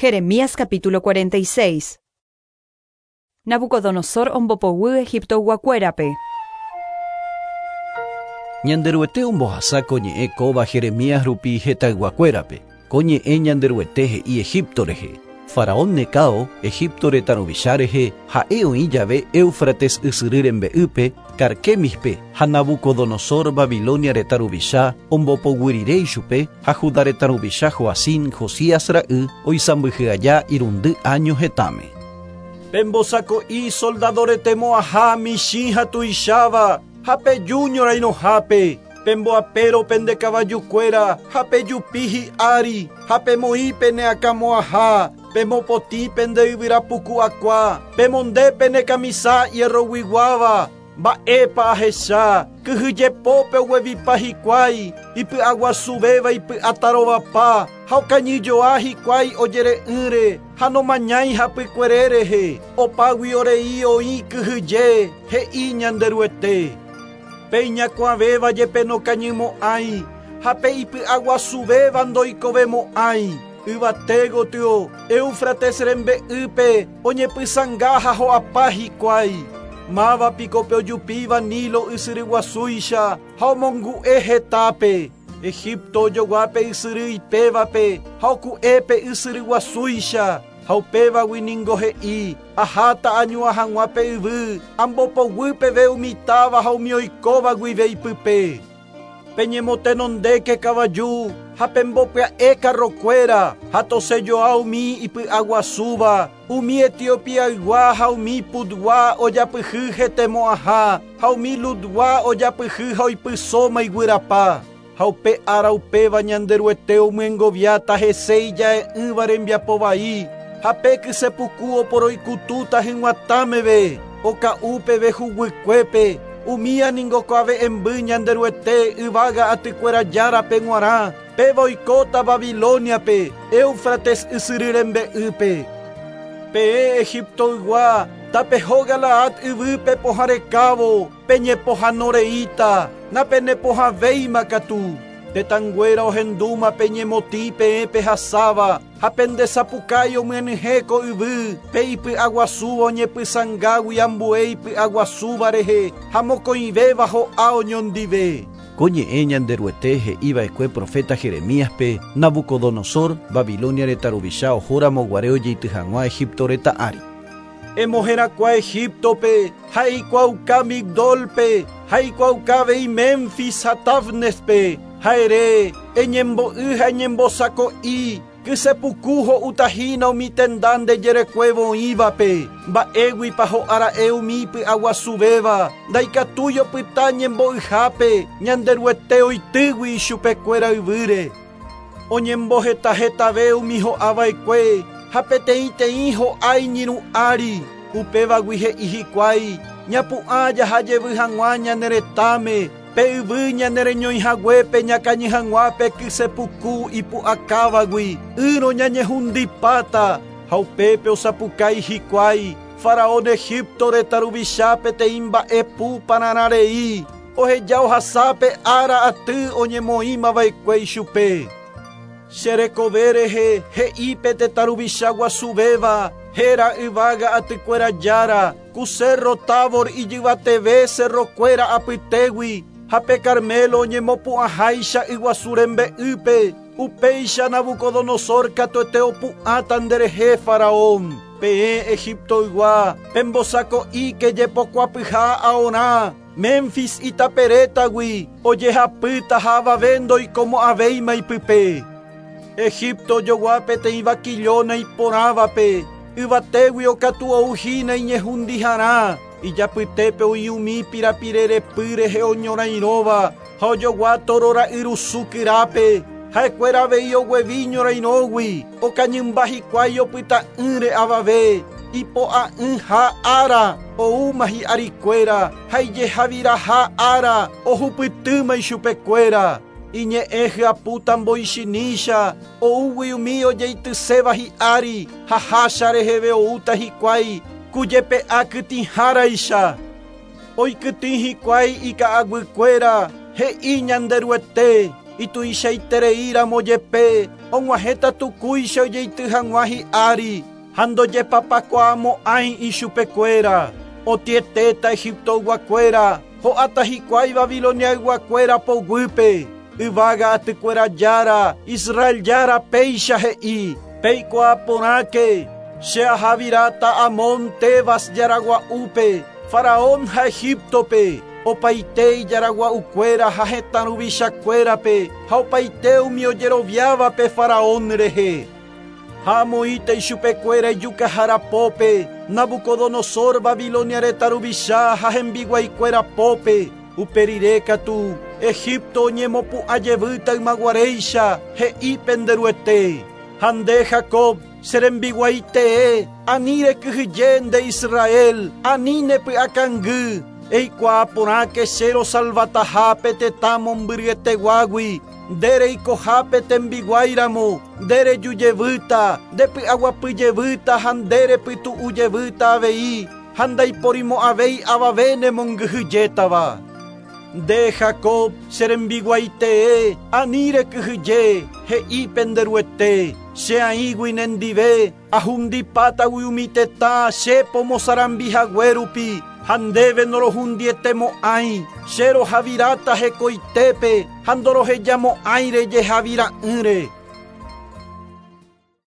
Jeremías capítulo 46. Nabucodonosor ombopoguy Egiptoyguakuérape. Ñanderuete ombohasa ko ñe'ẽ kóva Jeremías rupi hetãyguakuérape. Ko ñe'ẽ Ñanderuete he'i Egipto rehe. Faraón Necao, Egipto retã ruvicha rehe, ha'e oĩ jave Éufrates ysyry rembe'ýpe, Carquemispe, ha Nabucodonosor, Babilonia retã ruvicha, ombopoguy rire ichupe, ha Judá retã ruvicha Joacim, Josías ra'y, oisãmbyhy aja irundy áño hetãme. Pembosako'i soldado rete mo'ãha michĩ ha tuicháva, ha peju ñorairõhápe, pemboapéro pende kavajukuéra ha pejupi hi'ári, ha pemoĩ pene akãmo'ãha, pemopotĩ pende yvyra puku akua, pemonde pene kamisa hierroguiguáva. Mba'épa ahecha, kyhyjepópe oguevipa hikuái, ipy'aguasuvéva ipy'atarovapa, ha okañyjoa hikuái ojere'ỹre, ha nomañái hapykuere rehe, opáguio rei oĩ kyhyje, he'i Ñanderuete. Pe iñakuãvéva jepe nokañymo'ãi, ha pe ipy'aguasuvéva ndoikovemo'ãi. Yvate gotyo, Éufrates rembe'ýpe, oñepysãnga ha ho'apa hikuái. Máva piko pe ojupíva Nilo ysyry guasúicha ha omongu'e hetápe? Egipto ojogua pe ysyry ipévape ha oku'e pe ysyry guasúicha, ha upévagui ningo he'i, Aháta añuã hag̃ua pe yvy, ambopoguy peve umi táva ha umi oikóva guive ipype. Peñemotenondéke kavaju ha pembopya'e karrokuéra, ha tosẽjoa umi ipy'aguasúva, umi Etiopiaygua ha umi Putgua ojapyhy hetemo'ãha, ha umi Ludgua ojapyhy ha oipysóma iguyrapa. Ha upe ára upéva Ñanderuete omyengoviáta hese ija'e'ỹva rembiapo vai, ha pe kyse puku oporoikutúta hyg̃uatã meve, oka'u peve huguykuépe, umía ningo kuave'ẽmby Ñanderuete yvága atykuéra Járape g̃uarã, péva oikóta Babilóniape, Éufrates ysyry rembe'ýpe. Peẽ Egiptoygua, tapeho Galaad yvýpe pohã rekávo, Peñepohãno reíta, napenepohãvéima katu. Tetãnguéra ohendúma peñemotĩ peẽ pehasáva, ha pende sapukái omyenyhẽ ko yvy, pe ipy'aguasúva oñepysãngágui ambue ipy'aguasúva rehe ha mokõivéva ho'a oñondive. Ko ñe'ẽ Ñanderuete he'iva'ekue proféta Jeremíaspe, Nabucodonosor, Babilónia retã ruvicha ohóramo guare ojeity hag̃ua Egipto retã ári. Emoherakuã Egíptope, ha eikuaauka Migdólpe, ha eikuaauka avei Memfis ha Tafnespe, ha ere, Eñembo'y ha eñembosako'i, kyse puku ho'úta hína umi tenda nde jerekuévo oĩvape. Mba'éguipa ho'a ra'e umi ipy'aguasuvéva, ndaikatúi opyta ñembo'yhápe, Ñanderuete oitýgui ichupekuéra yvýre. Oñemboheta hetave umi ho'a va'ekue ha peteĩteĩ ho'a iñirũ ári, upévagui he'i hikuái, Ñapu'ã jaha jevy hag̃ua ñane retãme, pe yvy ñane reñói haguépe ñakañy hag̃ua pe kyse puku ipu'akávagui, ỹrõ ñañehundipáta. Ha upépe osapukái hikuái, Faraón Egipto retã ruvicha peteĩ mba'e pu pararã rei, Oheja ohasa pe ára aty oñemoĩma va'ekue ichupe. Che rekove rehe he'i pe tetã ruvicha guasuvéva, héra yvága atykuéra Jára, ku sérro Tabor ijyvateve serrokuéra apytégui, ha pe Carmelo oñemopu'ãháicha yguasu rembe'ýpe, upéicha Nabucodonosor katuete opu'ãta nderehe, Faraón. Peẽ Egiptoygua, pembosako'íke jepokuapyha aorã, Memfis itaperétagui ojehapýta ha avave ndoikomo'ãvéima ipype. Egipto ojogua peteĩ vakillóna iporãvape, yvatéguio katu ou hína iñehundiharã, ijapytépe oĩ umi pirapire repy rehe oñorairõva ha ojogua tóro ra'yrusu kyrápe, ha'ekuéra avei oguevi ñorairõgui, okañymba hikuái opyta'ỹre avave. Ipo'a'ỹha ára oúma hi'arikuéra ha ijehaviraha ára ohupytýma ichupekuéra. Iñe'ẽ hyapúta mboichinícha, oúgui umi ojeityséva hi'ári ha hácha reheve oúta hikuái ku jepe'a kytĩháraicha. Oikytĩ hikuái ika'aguykuéra, he'i Ñanderuete, ituichaiterei ramo jepe. Og̃uahẽta tukúicha ojeity hag̃ua hi'ári ha ndojepapakuaamo'ãi ichupekuéra. Otĩetéta Egiptoyguakuéra, ho'áta hikuái Babiloniayguakuéra poguýpe. Yvága atykuéra Jára, Israel Jára péicha he'i, Peikuaa porãke, che ahaviráta Amón Tebas jaragua'úpe, Faraón ha Egíptope, opaite ijaragua'ukuéra ha hetã ruvichakuérape ha opaite umi ojeroviávape Faraón rehe. Ha amoĩta ichupekuéra ijukahára pópe, Nabucodonosor Babilonia retã ruvicha ha hembiguaikuéra pópe. Upe rire katu, Egipto oñemopu'ã jevýta ymaguaréicha, he'i pende Ruete. Ha nde, Jacob, che rembiguái tee, ani rekyhyje nde Israel, ani ne py'akangy, eikuaa porãke che rosalvataha pe tetã mombyryeteguágui, nde reikohápe tembiguáiramo, nde reju jevýta, nde py'aguapy jevýta ha nde repytu'u jevýta avei, ha ndaiporimo'ãvéi avave nemongyhyjétava. Nde, Jacob, che rembiguái tee, ani rekyhyje, he'i pende Ruete, che aĩgui nendive, ahundipátagui umi tetã che pomosarambi hague rupi, ha ndéve norohundietemo'ãi, che rohaviráta hekoitépe ha ndorohejamo'ãi rejehavira'ỹre.